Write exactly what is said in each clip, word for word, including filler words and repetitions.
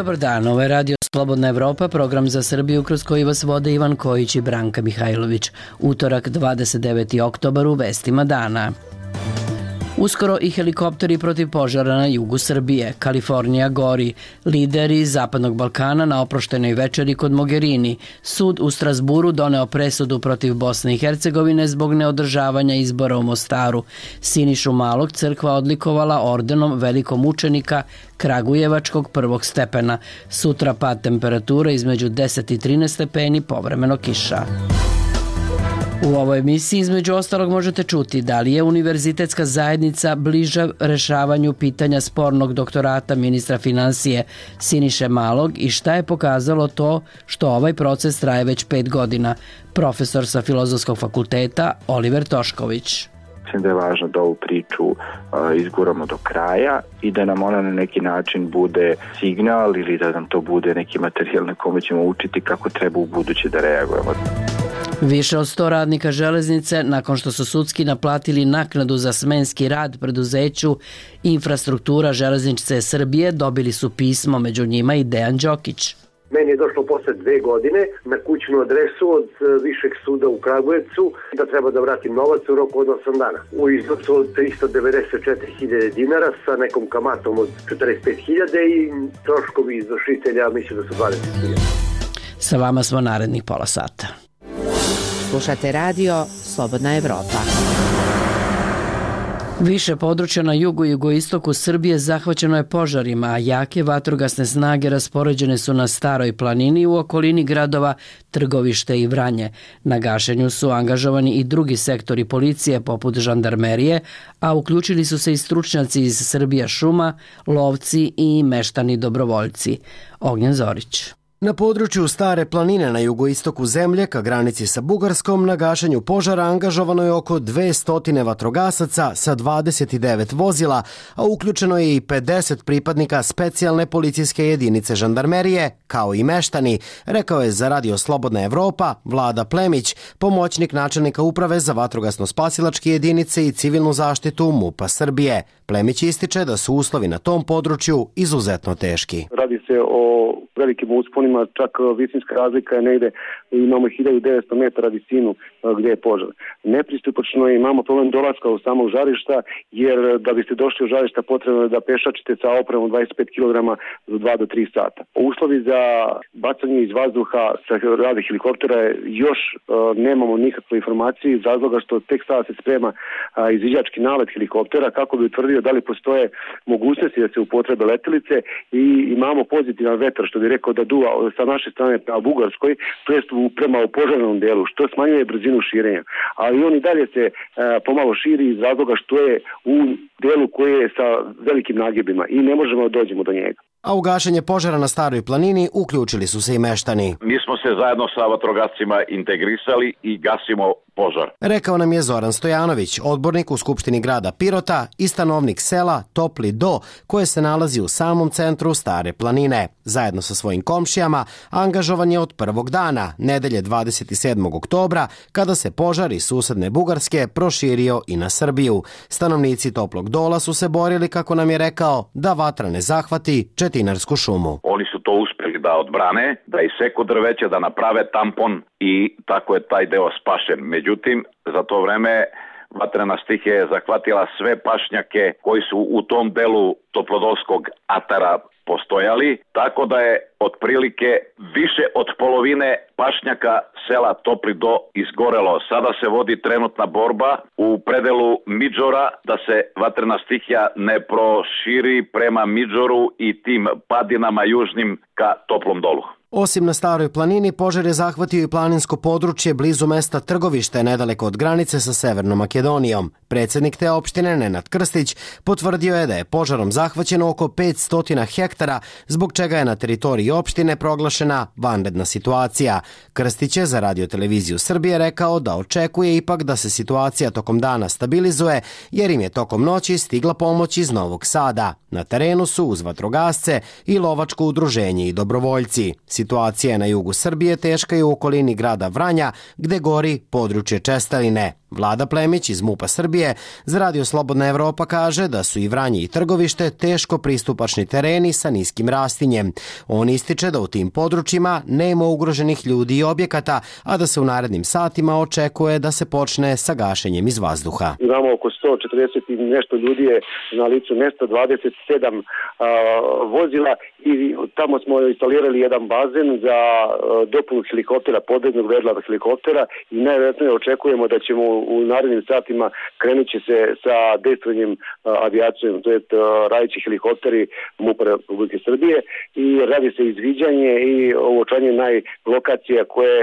Dobar dan, ovo je Radio Slobodna Evropa, program za Srbiju kroz koji vas vode Ivan Kojić i Branka Mihajlović. Utorak, dvadeset deveti oktobar, u vestima dana. Uskoro i helikopteri protiv požara na jugu Srbije. Kalifornija gori. Lideri Zapadnog Balkana na oproštenoj večeri kod Mogherini. Sud u Strasburu doneo presudu protiv Bosne i Hercegovine zbog neodržavanja izbora u Mostaru. Sinišu Malog crkva odlikovala ordenom velikog mučenika Kragujevačkog prvog stepena. Sutra pad temperature između deset i trinaest stepeni, povremeno kiša. U ovoj emisiji između ostalog možete čuti da li je univerzitetska zajednica bliža rešavanju pitanja spornog doktorata ministra finansije Siniše Malog i šta je pokazalo to što ovaj proces traje već pet godina. Profesor sa Filozofskog fakulteta Oliver Tošković. Mislim da je važno da ovu priču uh, izguramo do kraja i da nam ona na neki način bude signal ili da nam to bude neki materijal na kome ćemo učiti kako treba u buduće da reagujemo. Više od sto radnika železnice, nakon što su sudski naplatili naknadu za smenski rad preduzeću Infrastruktura železnice Srbije, dobili su pismo, među njima i Dejan Đokić. Meni je došlo posle dve godine na kućnu adresu od Višeg suda u Kragujevcu da treba da vratim novac u roku od osam dana. U iznosu od tristo devedeset četiri hiljade dinara sa nekom kamatom od četrdeset pet hiljada i troškovi izvršitelja mislim da su dvadeset hiljada. Sa vama smo narednih pola sata. Slušate radio Slobodna Evropa. Više područja na jugu i jugoistoku Srbije zahvaćeno je požarima, a jake vatrogasne snage raspoređene su na Staroj planini u okolini gradova Trgovište i Vranje. Na gašenju su angažovani i drugi sektori policije poput žandarmerije, a uključili su se i stručnjaci iz Srbija šuma, lovci i meštani dobrovoljci. Ognjen Zorić. Na području Stare planine na jugoistoku zemlje, ka granici sa Bugarskom, na gašenju požara angažovano je oko dvesta vatrogasaca sa dvadeset devet vozila, a uključeno je i pedeset pripadnika specijalne policijske jedinice žandarmerije, kao i meštani, rekao je za Radio Slobodna Evropa Vlada Plemić, pomoćnik načelnika uprave za vatrogasno-spasilačke jedinice i civilnu zaštitu MUP-a Srbije. Plemić ističe da su uslovi na tom području izuzetno teški. Radi se o velikim usponima, čak visinska razlika je negde, imamo hiljadu devetsto metara visinu gdje je požar. Nepristupačno je, imamo problem dolaska u samog žarišta, jer da biste došli u žarišta potrebno je da pešačite sa opremom dvadeset pet kilograma za dva do tri sata. Uslovi za bacanje iz vazduha sa rade helikoptera još uh, nemamo nikakve informacije iz razloga što tek sada se sprema uh, izviđački nalet helikoptera kako bi utvrdio da li postoje mogućnosti da se upotrebe letelice i imamo pozitivan vetar što bi rekao da duva sa naše strane prema Bugarskoj, to jest prema požarnom delu, što smanjuje brzinu širenja. Ali on i dalje se e, pomalo širi iz razloga što je u delu koji je sa velikim nagibima i ne možemo da dođemo do njega. A u gašenje požara na Staroj planini uključili su se i meštani. Mi smo se zajedno sa vatrogascima integrisali i gasimo požar. Rekao nam je Zoran Stojanović, odbornik u Skupštini grada Pirota i stanovnik sela Topli Do, koje se nalazi u samom centru Stare planine. Zajedno sa svojim komšijama angažovan je od prvog dana, nedelje dvadeset sedmog oktobra, kada se požar iz susedne Bugarske proširio i na Srbiju. Stanovnici Toplog Dola su se borili, kako nam je rekao, da vatra ne zahvati Četinarsku šumu. Oni su to uspeli da odbrane, da iseku drveće, da naprave tampon i tako je taj deo spašen. Međutim, za to vreme vatrena stihija je zahvatila sve pašnjake koji su u tom delu Toplodolskog atara postojali, tako da je otprilike više od polovine pašnjaka sela Topli Do izgorelo. Sada se vodi trenutna borba u predelu Midžora da se vatrena stihija ne proširi prema Midžoru i tim padinama južnim ka Toplom Dolu. Osim na Staroj planini, požar je zahvatio i planinsko područje blizu mesta Trgovište, nedaleko od granice sa Severnom Makedonijom. Predsjednik te opštine, Nenad Krstić, potvrdio je da je požarom zahvaćeno oko petsto hektara, zbog čega je na teritoriji opštine proglašena vanredna situacija. Krstić je za Radio-televiziju Srbije rekao da očekuje ipak da se situacija tokom dana stabilizuje, jer im je tokom noći stigla pomoć iz Novog Sada. Na terenu su uz vatrogasce i lovačko udruženje i dobrovoljci. Situacija je na jugu Srbije teška i u okolini grada Vranja, gde gori područje Česteline. Vlada Plemić iz MUP-a Srbije za Radio Slobodna Evropa kaže da su i Vranje i Trgovište teško pristupačni tereni sa niskim rastinjem. On ističe da u tim područjima nema ugroženih ljudi i objekata, a da se u narednim satima očekuje da se počne sa gašenjem iz vazduha. Imamo oko sto četrdeset i nešto ljudi je na licu mesta, dvadeset sedam a, vozila i tamo smo instalirali jedan bazen za a, dopunu helikoptera, podvodnog vedla helikoptera i najvjerojatnije očekujemo da ćemo u narednim satima krenut će se sa dejstvenjem avijacijom, to je radići helikopteri MUP-a Republike Srbije i radi se izviđanje i uočanje najlokacija koje,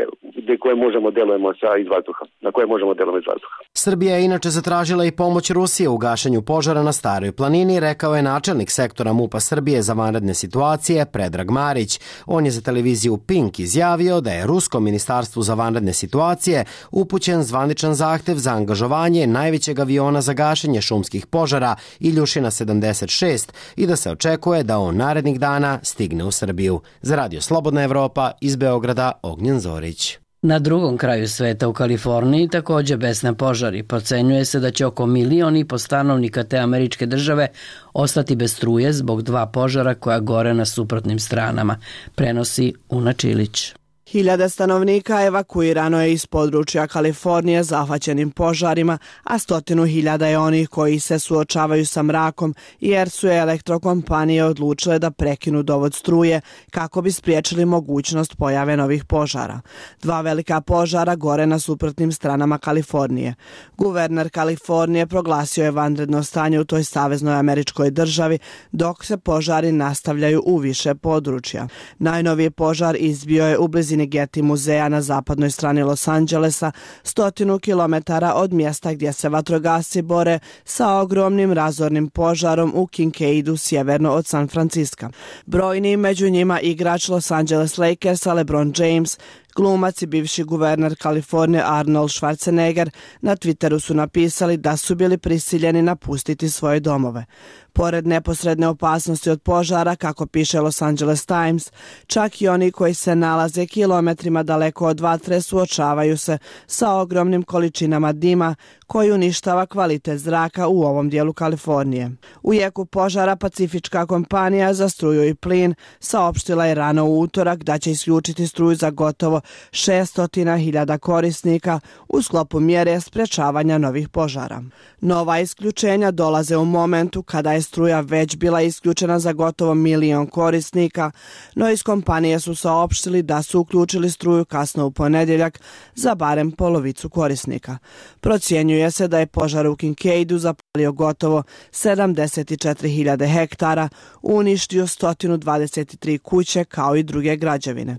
koje možemo delujemo sa iz vazduha, na koje možemo delujemo iz vazduha. Srbija je inače zatražila i pomoć Rusije u gašenju požara na Staroj planini, rekao je načelnik sektora MUP-a Srbije za vanredne situacije Predrag Marić. On je za televiziju Pink izjavio da je Rusko ministarstvu za vanredne situacije upućen zvaničan zahtev za angažovanje najvećeg aviona za gašenje šumskih požara Iljušina sedamdeset šest i da se očekuje da on narednih dana stigne u Srbiju. Za Radio Slobodna Evropa iz Beograda Ognjen Zorić. Na drugom kraju sveta u Kaliforniji također besne požari. Procenjuje se da će oko milion i po stanovnika te američke države ostati bez struje zbog dva požara koja gore na suprotnim stranama, prenosi Una Čilić. Hiljade stanovnika evakuirano je iz područja Kalifornije zahvaćenim požarima, a stotinu hiljada je onih koji se suočavaju sa mrakom jer su elektrokompanije odlučile da prekinu dovod struje kako bi spriječili mogućnost pojave novih požara. Dva velika požara gore na suprotnim stranama Kalifornije. Guverner Kalifornije proglasio je vanredno stanje u toj saveznoj američkoj državi dok se požari nastavljaju u više područja. Najnoviji požar izbio je u blizini Getty muzeja na zapadnoj strani Los Angelesa, stotinu kilometara od mjesta gdje se vatrogasci bore sa ogromnim razornim požarom u Kincaidu sjeverno od San Franciska. Brojni među njima igrač Los Angeles Lakersa LeBron James, glumac i bivši guverner Kalifornije Arnold Schwarzenegger na Twitteru su napisali da su bili prisiljeni napustiti svoje domove. Pored neposredne opasnosti od požara, kako piše Los Angeles Times, čak i oni koji se nalaze kilometrima daleko od vatre suočavaju se sa ogromnim količinama dima koji uništava kvalitet zraka u ovom dijelu Kalifornije. U jeku požara Pacifička kompanija za struju i plin saopštila je rano u utorak da će isključiti struju za gotovo šesto hiljada korisnika u sklopu mjere sprečavanja novih požara. Nova isključenja dolaze u momentu kada je struja već bila isključena za gotovo milion korisnika, no iz kompanije su saopštili da su uključili struju kasno u ponedjeljak za barem polovicu korisnika. Procjenjuje se da je požar u Kincaidu zapalio gotovo sedamdeset četiri hiljade hektara, uništio sto dvadeset tri kuće kao i druge građevine.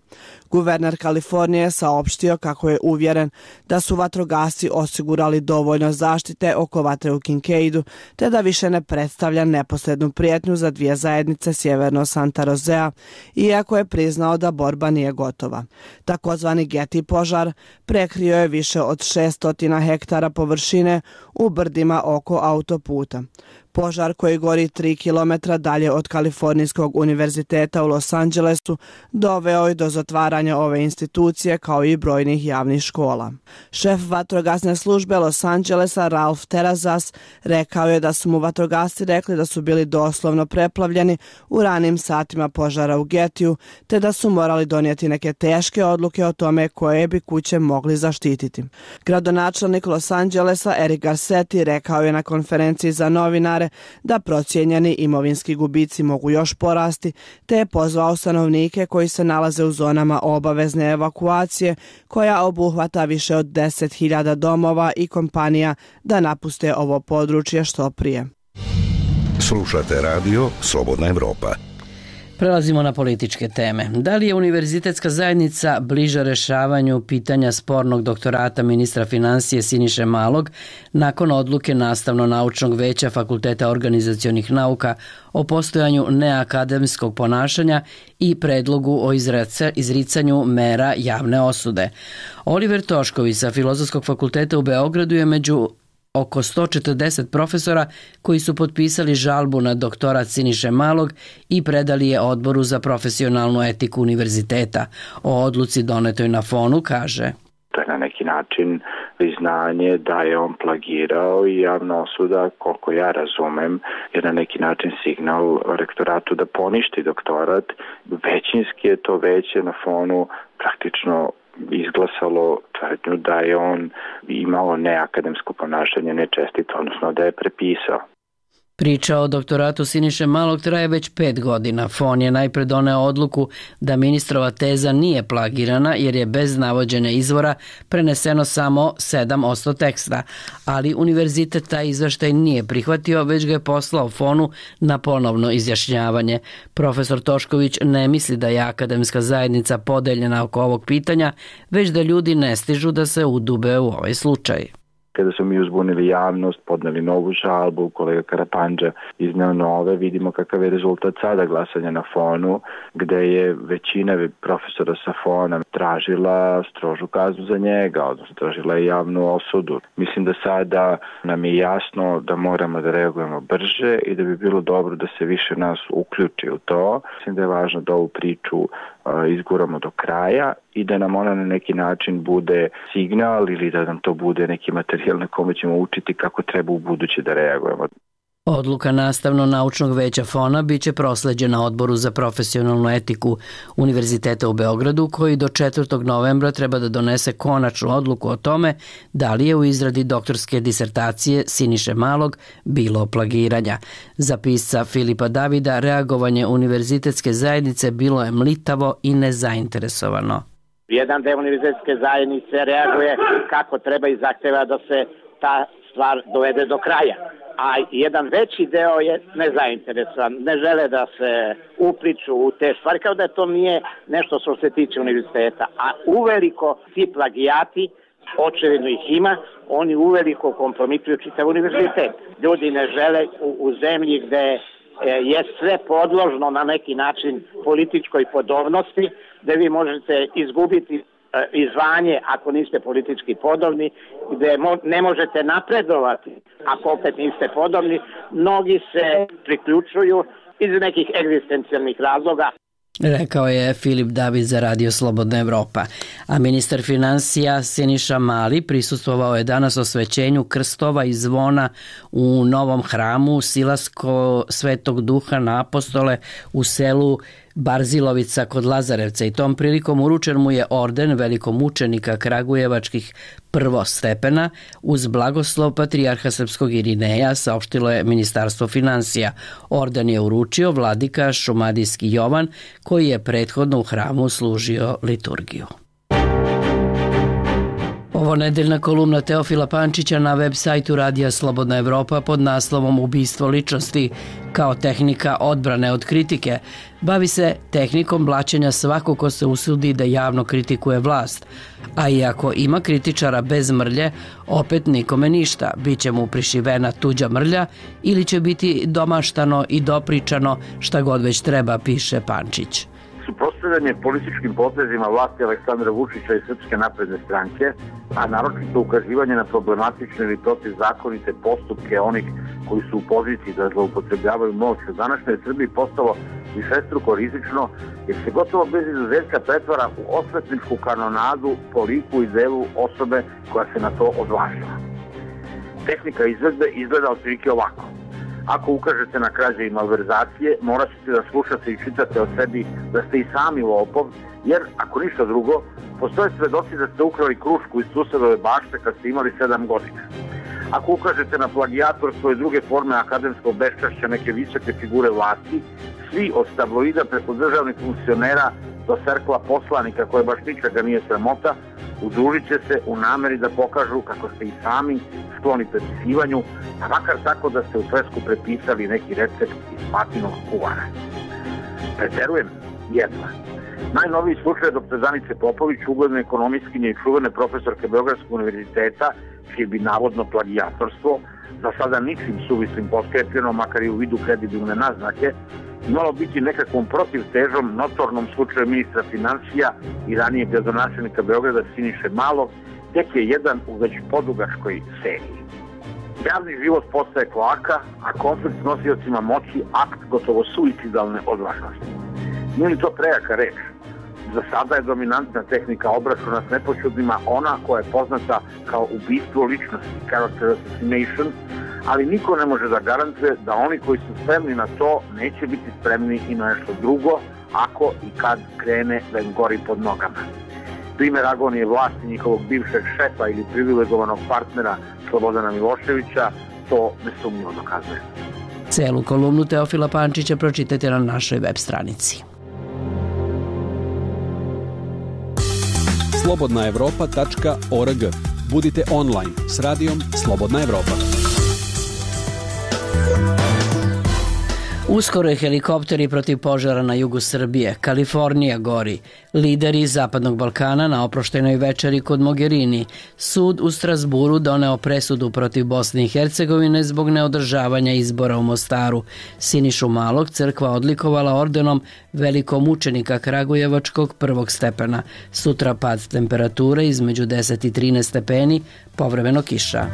Guverner Kalifornije je saopštio kako je uvjeren da su vatrogasci osigurali dovoljno zaštite oko vatre u Kincaidu, te da više ne predstavlja neposrednu prijetnju za dvije zajednice sjeverno Santa Rosea, iako je priznao da borba nije gotova. Takozvani Getty požar prekrio je više od šesto hektara površine u brdima oko autoputa. Požar koji gori tri kilometra dalje od Kalifornijskog univerziteta u Los Angelesu doveo je do zatvaranja ove institucije kao i brojnih javnih škola. Šef vatrogasne službe Los Angelesa Ralph Terrazas rekao je da su mu vatrogasci rekli da su bili doslovno preplavljeni u ranim satima požara u Gettyu, te da su morali donijeti neke teške odluke o tome koje bi kuće mogli zaštititi. Gradonačelnik Los Angelesa Eric Garcetti rekao je na konferenciji za novinare da procijenjeni imovinski gubici mogu još porasti, te je pozvao stanovnike koji se nalaze u zonama obavezne evakuacije, koja obuhvata više od deset hiljada domova i kompanija, da napuste ovo područje što prije. Slušate radio Slobodna Evropa. Prelazimo na političke teme. Da li je univerzitetska zajednica bliža rešavanju pitanja spornog doktorata ministra financije Siniše Malog nakon odluke Nastavno-naučnog veća Fakulteta organizacionih nauka o postojanju neakademskog ponašanja i predlogu o izricanju mera javne osude? Oliver Tošković sa Filozofskog fakulteta u Beogradu je među oko sto četrdeset profesora koji su potpisali žalbu na doktorat Siniše Malog i predali je Odboru za profesionalnu etiku univerziteta. O odluci donetoj na Fonu kaže: To je na neki način priznanje da je on plagirao i javna osuda, koliko ja razumem, je na neki način signal rektoratu da poništi doktorat. Većinski je to veće na fonu praktično izglasalo tvrdnju da je on imao neakademsko ponašanje, nečestito, odnosno da je prepisao. Priča o doktoratu Siniše Malog traje već pet godina. Fon je najpre doneo odluku da ministrova teza nije plagirana jer je bez navođenja izvora preneseno samo sedam posto teksta, ali univerzitet taj izveštaj nije prihvatio, već ga je poslao Fonu na ponovno izjašnjavanje. Profesor Tošković ne misli da je akademska zajednica podeljena oko ovog pitanja, već da ljudi ne stižu da se udube u ovaj slučaj. Kada smo mi uzbunili javnost, podneli novu žalbu, kolega Karapandža izneo nove, vidimo kakav je rezultat sada glasanja na Fonu, gde je većina profesora sa Fona tražila strožu kaznu za njega, odnosno tražila je javnu osudu. Mislim da sada nam je jasno da moramo da reagujemo brže i da bi bilo dobro da se više nas uključi u to. Mislim da je važno da ovu priču izguramo do kraja i da nam ona na neki način bude signal ili da nam to bude neki materijal na kome ćemo učiti kako treba u buduće da reagujemo. Odluka Nastavno-naučnog veća Fona biće prosleđena Odboru za profesionalnu etiku Univerziteta u Beogradu, koji do četvrtog novembra treba da donese konačnu odluku o tome da li je u izradi doktorske disertacije Siniše Malog bilo plagiranja. Za pisca Filipa Davida reagovanje univerzitetske zajednice bilo je mlitavo i nezainteresovano. Jedan deo univerzitetske zajednice reaguje kako treba i zahteva da se ta stvar dovede do kraja. A jedan veći deo je nezainteresovan, ne žele da se upliču u te stvari, kao da to nije nešto što se tiče univerziteta. A uveliko ti plagijati, očevidno ih ima, oni uveliko kompromituju čitav univerzitet. Ljudi ne žele u, u zemlji gde je sve podložno na neki način političkoj podobnosti, gde vi možete izgubiti i zvanje ako niste politički podobni, gde ne možete napredovati ako opet niste podobni. Mnogi se priključuju iz nekih egzistencijalnih razloga. Rekao je Filip David za Radio Slobodna Evropa. A ministar finansija Siniša Mali prisustvovao je danas osvećenju krstova i zvona u novom hramu Silasko Svetog Duha na Apostole u selu Barzilovica kod Lazarevca i tom prilikom uručen mu je orden velikomučenika kragujevačkih prvostepena uz blagoslov patrijarha srpskog Irineja, saopštilo je Ministarstvo finansija. Orden je uručio vladika Šumadijski Jovan, koji je prethodno u hramu služio liturgiju. Ovo nedeljna kolumna Teofila Pančića na web sajtu Radija Slobodna Evropa pod naslovom Ubistvo ličnosti kao tehnika odbrane od kritike bavi se tehnikom blaćenja svako ko se usudi da javno kritikuje vlast, a iako ima kritičara bez mrlje, opet nikome ništa, bit će mu prišivena tuđa mrlja ili će biti domaštano i dopričano šta god već treba, piše Pančić. Suprotstavljanje političkim potezima vlasti Aleksandra Vučića i Srpske napredne stranke, a naročito ukazivanje na problematične ili protivzakonite postupke onih koji su u poziciji da zloupotrebljavaju moć u današnjoj Srbiji postalo višestruko rizično, jer se gotovo bez izuzetka pretvara u osvetničku kanonadu po liku i delu osobe koja se na to odvažila. Tehnika izvedbe izgleda otprilike ovako. Ako ukažete na krađe i malverzacije, morat ćete da slušate i čitate o sebi da ste i sami lopov, jer, ako ništa drugo, postoje svedoci da ste ukrali krušku iz susedove bašte kad ste imali sedam godina. Ako ukažete na plagijatorstvo i druge forme akademskog beščašća neke visoke figure vlasti, svi od tabloida preko državnih funkcionera do cerkla poslanika koje baš ničega nije sramota, udružit će se u nameri da pokažu kako ste i sami skloni prepisivanju, a makar tako da ste u svesku prepisali neki recept iz patinog kuvara. Preterujem jedva. Najnoviji slučaj doktor Zanice Popović, ugledne ekonomistkinje i čuvene profesorke Beogradskog univerziteta, čije bi navodno plagijatorstvo, za sada ničim suvislim poskrepljeno, makar i u vidu kredibilne naznake, imalo biti nekakvom protivtežom notornom slučaju ministra financija i ranije gradonačelnika Beograda Siniše Malog, tek je jedan u već podugačkoj seriji. Javni život postaje kloaka, a konflikt s nosiocima moći akt gotovo suicidalne odvažnosti. Nije li to prejaka reč? Za sada je dominantna tehnika obračuna s nepoćudnima ona koja je poznata kao ubistvo ličnosti, character assassination, ali niko ne može da garantuje da oni koji su spremni na to neće biti spremni i na nešto drugo ako i kad krene da im gori pod nogama. Primer agonije vlasti njihovog bivšeg šefa ili privilegovanog partnera Slobodana Miloševića to nesumnjivo dokazuje. Celu kolumnu Teofila Pančića pročitajte na našoj web stranici. slobodna evropa tačka org. Budite online s radijom Slobodna Evropa. Uskoro je helikopteri protiv požara na jugu Srbije. Kalifornija gori. Lideri Zapadnog Balkana na oproštenoj večeri kod Mogherini. Sud u Strasburu doneo presudu protiv Bosne i Hercegovine zbog neodržavanja izbora u Mostaru. Sinišu Malog crkva odlikovala ordenom velikom učenika Kragujevačkog prvog stepena. Sutra pad temperature između deset i trinaest stepeni, povremeno kiša.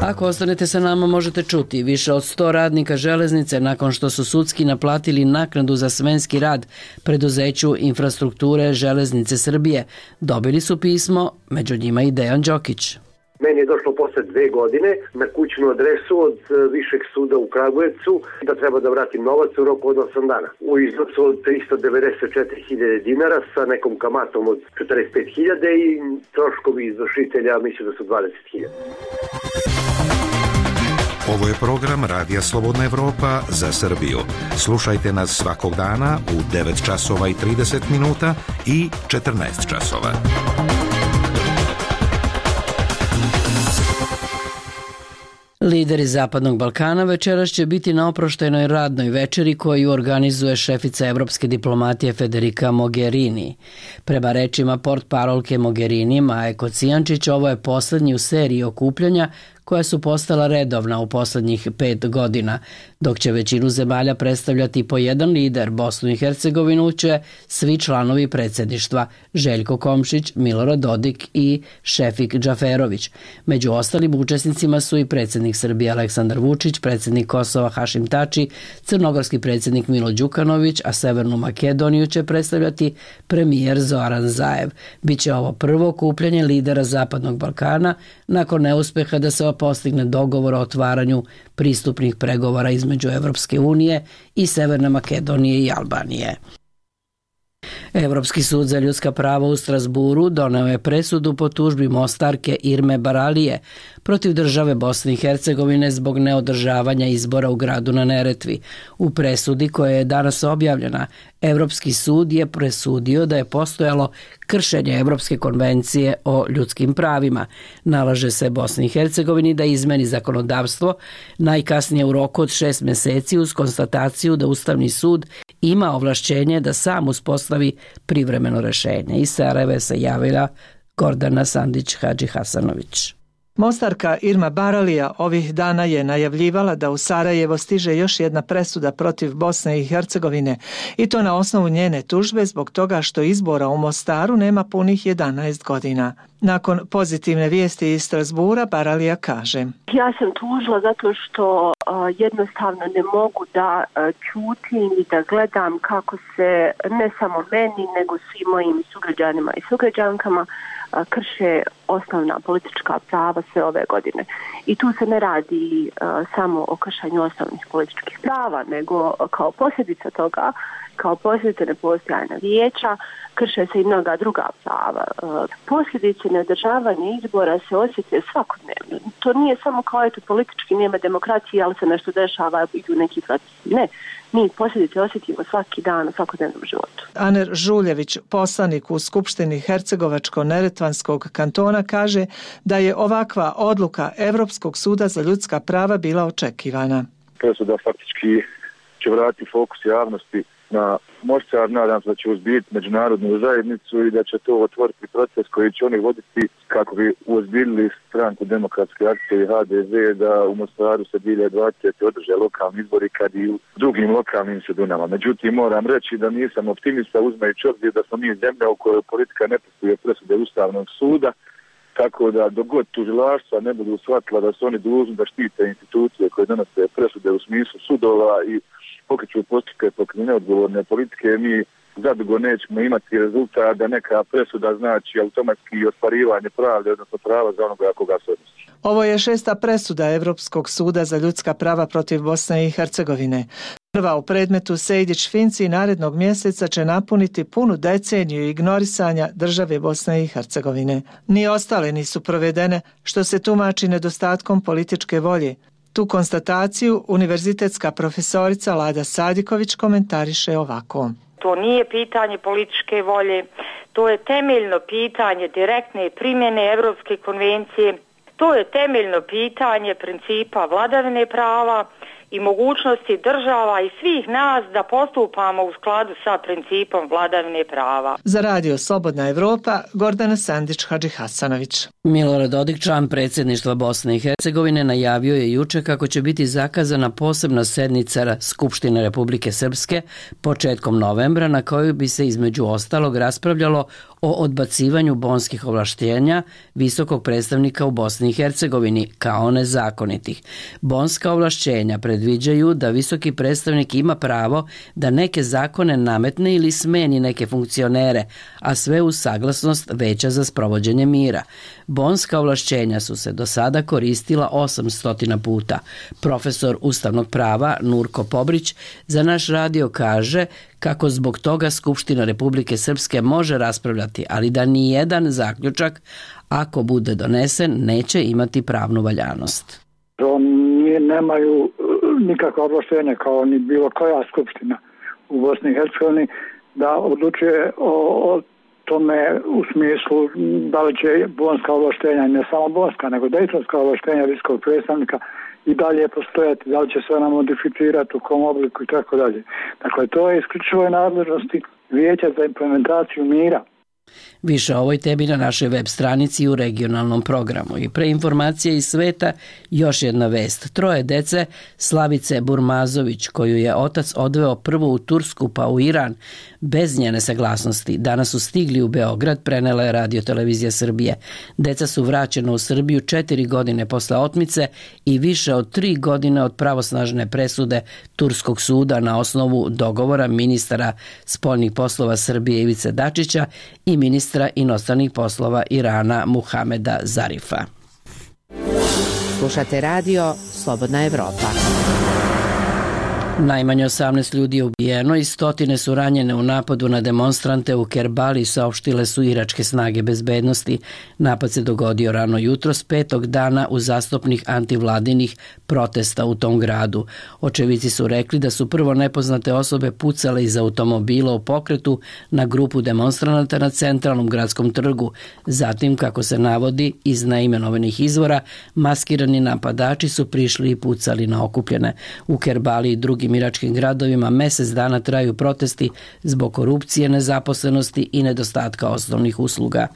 Ako ostanete sa nama možete čuti više od sto radnika železnice nakon što su sudski naplatili naknadu za smenski rad preduzeću infrastrukture Železnice Srbije. Dobili su pismo, među njima i Dejan Đokić. Meni je došlo posle dve godine na kućnu adresu od Višeg suda u Kragujevcu da treba da vratim novac u roku od osam dana. U iznosu od tristo devedeset četiri hiljade dinara sa nekom kamatom od četrdeset pet hiljada i troškovi izvršitelja mislim da su dvadeset hiljada. Ovo je program Radija Slobodna Evropa za Srbiju. Slušajte nas svakog dana u devet časova i trideset minuta i četrnaest časova. Lideri Zapadnog Balkana večeras će biti na oproštajnoj radnoj večeri koju organizuje šefica evropske diplomatije Federica Mogherini. Prema rečima portparolke Mogherini Maje Kocijančić, ovo je poslednji u seriji okupljanja koja su postala redovna u poslednjih pet godina, dok će većinu zemalja predstavljati po jedan lider. Bosnu i Hercegovinu će svi članovi predsjedništva Željko Komšić, Milorad Dodik i Šefik Džaferović. Među ostalim učesnicima su i predsjednik Srbije Aleksandar Vučić, predsjednik Kosova Hašim Tači, crnogorski predsjednik Milo Đukanović, a Severnu Makedoniju će predstavljati premijer Zoran Zaev. Biće ovo prvo okupljanje lidera Zapadnog Balkana nakon neuspeha da se postigne dogovor o otvaranju pristupnih pregovora između Evropske unije i Severne Makedonije i Albanije. Evropski sud za ljudska prava u Strasburu doneo je presudu po tužbi Mostarke Irme Baralije protiv države Bosne i Hercegovine zbog neodržavanja izbora u gradu na Neretvi. U presudi koja je danas objavljena, Evropski sud je presudio da je postojalo kršenje Evropske konvencije o ljudskim pravima. Nalaže se Bosni i Hercegovini da izmeni zakonodavstvo najkasnije u roku od šest meseci uz konstataciju da Ustavni sud ima ovlašćenje da sam uspostavi privremeno rešenje. Iz Sarajeva se javila Gordana Sandić-Hadži Hasanović. Mostarka Irma Baralija ovih dana je najavljivala da u Sarajevo stiže još jedna presuda protiv Bosne i Hercegovine i to na osnovu njene tužbe zbog toga što izbora u Mostaru nema punih jedanaest godina. Nakon pozitivne vijesti iz Strasbura, Baralija kaže: Ja sam tužila zato što uh, jednostavno ne mogu da uh, ćutim i da gledam kako se ne samo meni nego svim mojim sugrađanima i sugrađankama uh, krše osnovna politička prava sve ove godine. I tu se ne radi uh, samo o kršanju osnovnih političkih prava, nego uh, kao posljedica toga, kao posljedica nepostojanja vijeća, krše se i mnoga druga prava. Posljedice neodržavanja izbora se osjete svakodnevno. To nije samo kao eto politički nema demokracije, ali se nešto dešava, idu neki procesi. Ne, mi posljedice osjetimo svaki dan u svakodnevnom životu. Aner Žuljević, poslanik u Skupštini Hercegovačko-Neretvanskog kantona, kaže da je ovakva odluka Evropskog suda za ljudska prava bila očekivana. Presuda faktički će vratiti fokus javnosti na Mostar, nadam se da će uzbiti međunarodnu zajednicu i da će to otvoriti proces koji će oni voditi kako bi uozbiljili stranku Demokratske akcije i H D Z da u Mostaru se dvije hiljade dvadesete održe lokalni izbori kad i u drugim lokalnim sredinama. Međutim, moram reći da nisam optimista uzmajući obzir da smo mi zemlja u kojoj politika ne poštuje presude Ustavnog suda, tako da dogod tužilaštva ne budu shvatila da su oni dužni da štite institucije koje donose presude u smislu sudova i pokreću postupke protiv neodgovorne politike, mi zadugo nećemo imati rezultat da neka presuda znači automatski ostvarivanje pravde, odnosno prava za onoga koga se odnosi. Ovo je šesta presuda Evropskog suda za ljudska prava protiv Bosne i Hercegovine. Prva u predmetu Sejdić-Finci narednog mjeseca će napuniti punu deceniju ignorisanja države Bosne i Hercegovine. Ni ostale nisu provedene, što se tumači nedostatkom političke volje. Tu konstataciju univerzitetska profesorica Lada Sadiković komentariše ovako. To nije pitanje političke volje, to je temeljno pitanje direktne primjene Evropske konvencije, to je temeljno pitanje principa vladavine prava i mogućnosti država i svih nas da postupamo u skladu sa principom vladavine prava. Za radio Slobodna Evropa, Gordana Sandić-Hadžihasanović. Milorad Dodik, član predsjedništva Bosne i Hercegovine, najavio je juče kako će biti zakazana posebna sednica Skupštine Republike Srpske početkom novembra, na kojoj bi se između ostalog raspravljalo o odbacivanju bonskih ovlaštenja visokog predstavnika u Bosni i Hercegovini kao nezakonitih. Bonska ovlašćenja predviđaju da visoki predstavnik ima pravo da neke zakone nametne ili smeni neke funkcionere, a sve uz saglasnost Veća za sprovođenje mira. Bonska ovlašćenja su se do sada koristila osamsto puta. Profesor ustavnog prava Nurko Pobrić za naš radio kaže kako zbog toga Skupština Republike Srpske može raspravljati, ali da ni jedan zaključak, ako bude donesen, neće imati pravnu valjanost. Oni nemaju nikakva ovlaštenja kao ni bilo koja skupština u Bosni i Hercegovini da odlučuje o, o tome u smislu da li će bonska ovlaštenja, ne samo bonska, nego dejtonska ovlaštenja visokog predstavnika i dalje postojati, da li će se ona modificirati, u kom obliku i tako dalje. Dakle, to je isključivo nadležnosti Vijeća za implementaciju mira. Više o ovoj temi na našoj web stranici i u regionalnom programu. I pre informacije iz sveta, još jedna vest. Troje dece Slavice Burmazović, koju je otac odveo prvo u Tursku pa u Iran, bez njene saglasnosti, danas su stigli u Beograd, prenela je Radio Televizija Srbije. Deca su vraćena u Srbiju četiri godine posle otmice i više od tri godine od pravosnažne presude Turskog suda na osnovu dogovora ministara spoljnih poslova Srbije Ivice Dačića i ministra inostranih poslova Irana Muhameda Zarifa. Slušate radio Slobodna Evropa. Najmanje osamnaest ljudi je ubijeno i stotine su ranjene u napadu na demonstrante u Kerbali, saopštile su iračke snage bezbednosti. Napad se dogodio rano jutros petog dana uzastopnih antivladinih protesta u tom gradu. Očevici su rekli da su prvo nepoznate osobe pucale iz automobila u pokretu na grupu demonstranata na centralnom gradskom trgu. Zatim, kako se navodi iz neimenovanih izvora, maskirani napadači su prišli i pucali na okupljene. U Kerbali i drugim iračkim gradovima mesec dana traju protesti zbog korupcije, nezaposlenosti i nedostatka osnovnih usluga.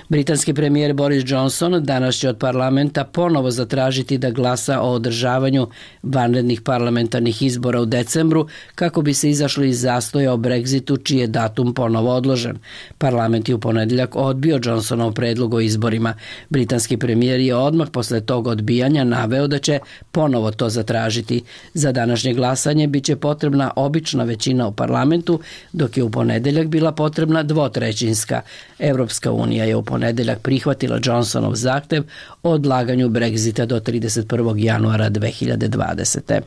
Britanski premijer Boris Johnson danas će od parlamenta ponovo zatražiti da glasa o održavanju vanrednih parlamentarnih izbora u decembru kako bi se izašli iz zastoja o Brexitu, čiji je datum ponovo odložen. Parlament je u ponedeljak odbio Johnsonov predlog o izborima. Britanski premijer je odmah posle tog odbijanja naveo da će ponovo to zatražiti. Za današnje glasanje biće potrebna obična većina u parlamentu, dok je u ponedeljak bila potrebna dvotrećinska. Evropska unija je u ponedeljak prihvatila Johnsonov zahtev o odlaganju Brexita do trideset prvog januara dve hiljade dvadesete.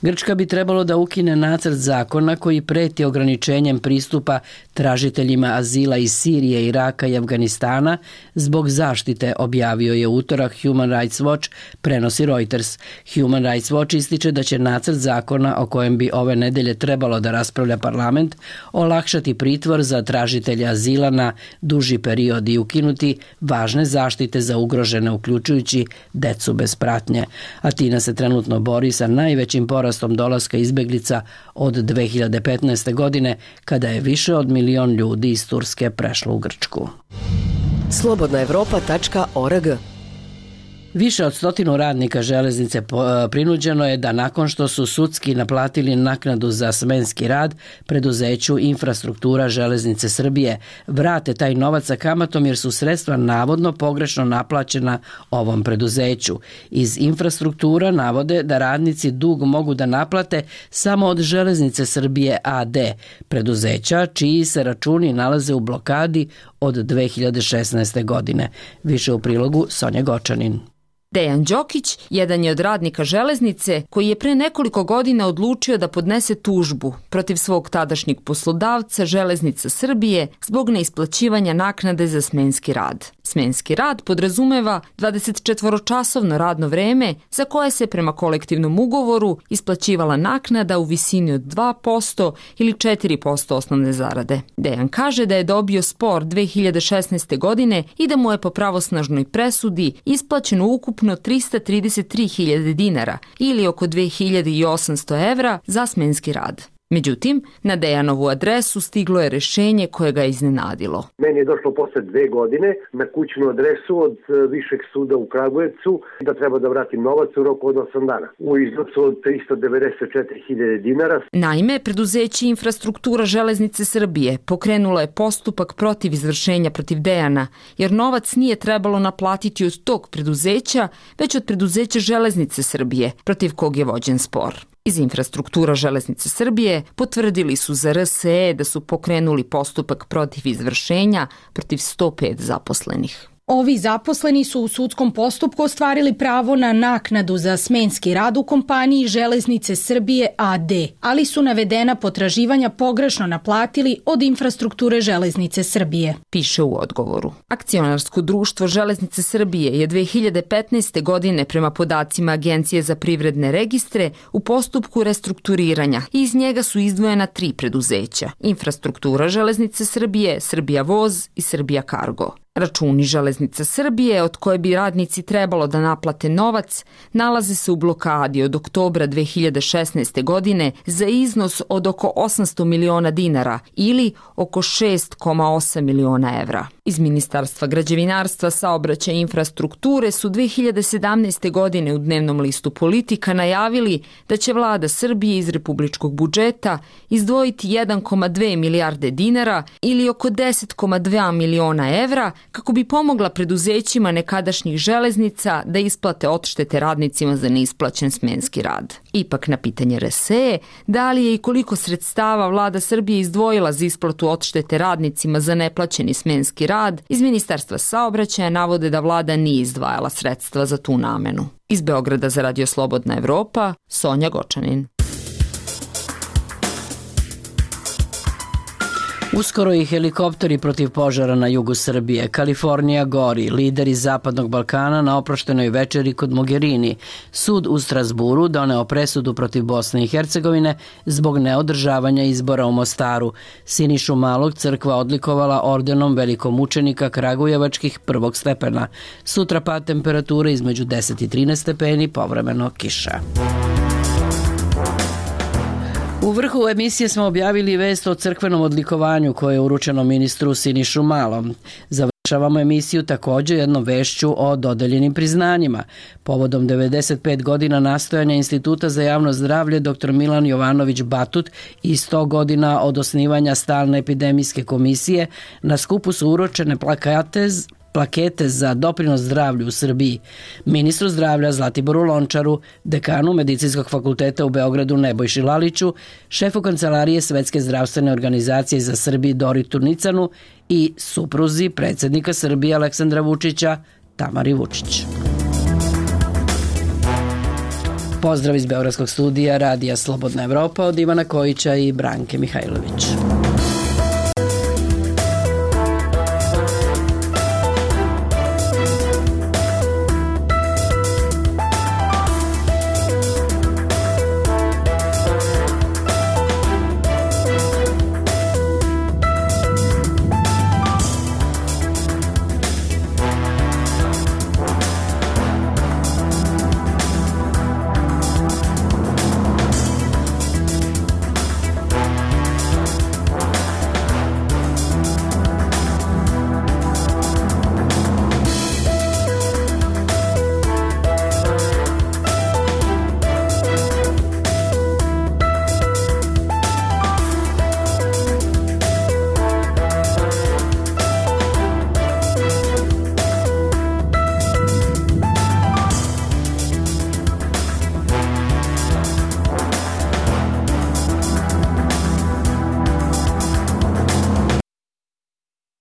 Grčka bi trebalo da ukine nacrt zakona koji preti ograničenjem pristupa tražiteljima azila iz Sirije, Iraka i Afganistana zbog zaštite, objavio je utorak Human Rights Watch, prenosi Reuters. Human Rights Watch ističe da će nacrt zakona o kojem bi ove nedelje trebalo da raspravlja parlament olakšati pritvor za tražitelje azila na duži period i ukinuti važne zaštite za ugrožene, uključujući decu bez pratnje. Atina se trenutno bori sa najvećim porastom dolaska izbeglica od dve hiljade petnaeste. godine, kada je više od milion ljudi iz Turske prešlo u Grčku. slobodna evropa tačka org Više od stotinu radnika železnice prinuđeno je da nakon što su sudski naplatili naknadu za smenski rad preduzeću Infrastruktura železnice Srbije vrate taj novac sa kamatom jer su sredstva navodno pogrešno naplaćena ovom preduzeću. Iz Infrastruktura navode da radnici dug mogu da naplate samo od Železnice Srbije a d, preduzeća čiji se računi nalaze u blokadi od dve hiljade šesnaeste. godine. Više u prilogu Sonja Gočanin. Dejan Đokić jedan je od radnika železnice koji je pre nekoliko godina odlučio da podnese tužbu protiv svog tadašnjeg poslodavca Železnica Srbije zbog neisplaćivanja naknade za smenski rad. Smenski rad podrazumeva dvadesetčetvoročasovno radno vreme za koje se prema kolektivnom ugovoru isplaćivala naknada u visini od dva posto ili četiri posto osnovne zarade. Dejan kaže da je dobio spor dve hiljade šesnaeste. godine i da mu je po pravosnažnoj presudi isplaćeno ukupno trista trideset tri hiljade dinara ili oko dve hiljade osamsto evra za smenski rad. Međutim, na Dejanovu adresu stiglo je rešenje koje ga je iznenadilo. Meni je došlo posle dve godine na kućnu adresu od Višeg suda u Kragujevcu da treba da vratim novac u roku od osam dana. U iznosu od trista devedeset četiri hiljade dinara. Naime, preduzeće Infrastruktura železnice Srbije pokrenulo je postupak protiv izvršenja protiv Dejana, jer novac nije trebalo naplatiti od tog preduzeća, već od preduzeća Železnice Srbije, protiv kog je vođen spor. Iz Infrastruktura železnice Srbije potvrdili su za R S E da su pokrenuli postupak protiv izvršenja protiv sto pet zaposlenih. Ovi zaposleni su u sudskom postupku ostvarili pravo na naknadu za smenski rad u kompaniji Železnice Srbije a d, ali su navedena potraživanja pogrešno naplatili od Infrastrukture Železnice Srbije. Piše u odgovoru. Akcionarsko društvo Železnice Srbije je dve hiljade petnaeste. godine prema podacima Agencije za privredne registre u postupku restrukturiranja i iz njega su izdvojena tri preduzeća: Infrastruktura Železnice Srbije, Srbija voz i Srbija kargo. Računi Železnice Srbije, od koje bi radnici trebalo da naplate novac, nalaze se u blokadi od oktobra dve hiljade šesnaeste. godine za iznos od oko osamsto miliona dinara ili oko šest zarez osam miliona evra. Iz Ministarstva građevinarstva, saobraćaja i infrastrukture su dve hiljade sedamnaeste. godine u dnevnom listu Politika najavili da će vlada Srbije iz republičkog budžeta izdvojiti jedan zarez dve milijarde dinara ili oko deset zarez dva miliona evra kako bi pomogla preduzećima nekadašnjih železnica da isplate odštete radnicima za neisplaćen smenski rad. Ipak na pitanje R S E da li je i koliko sredstava vlada Srbije izdvojila za isplatu odštete radnicima za neplaćeni smenski rad, iz Ministarstva saobraćaja navode da vlada nije izdvajala sredstva za tu namenu. Iz Beograda za Radio Slobodna Evropa, Sonja Gočanin. Uskoro i helikopteri protiv požara na jugu Srbije. Kalifornija gori, lideri Zapadnog Balkana na oproštenoj večeri kod Mogherini. Sud u Strasburu doneo presudu protiv Bosne i Hercegovine zbog neodržavanja izbora u Mostaru. Sinišu Malog crkva odlikovala ordenom velikomučenika Kragujevačkih prvog stepena. Sutra pad temperature između deset i trinaest stepeni, povremeno kiša. U vrhu emisije smo objavili vest o crkvenom odlikovanju koje je uručeno ministru Sinišu Malom. Završavamo emisiju također jednom vešću o dodeljenim priznanjima. Povodom devedeset pet godina nastojanja Instituta za javno zdravlje dr Milan Jovanović Batut i sto godina od osnivanja stalne epidemijske komisije, na skupu su uručene plakate plakete za doprinos zdravlju u Srbiji. Ministru zdravlja Zlatiboru Lončaru, dekanu Medicinskog fakulteta u Beogradu Nebojši Laliću, šefu Kancelarije Svetske zdravstvene organizacije za Srbiju Doritu Nicanu i supruzi predsjednika Srbije Aleksandra Vučića, Tamari Vučić. Pozdrav iz Beogradskog studija Radija Slobodna Evropa od Ivana Kojića i Branke Mihajlović.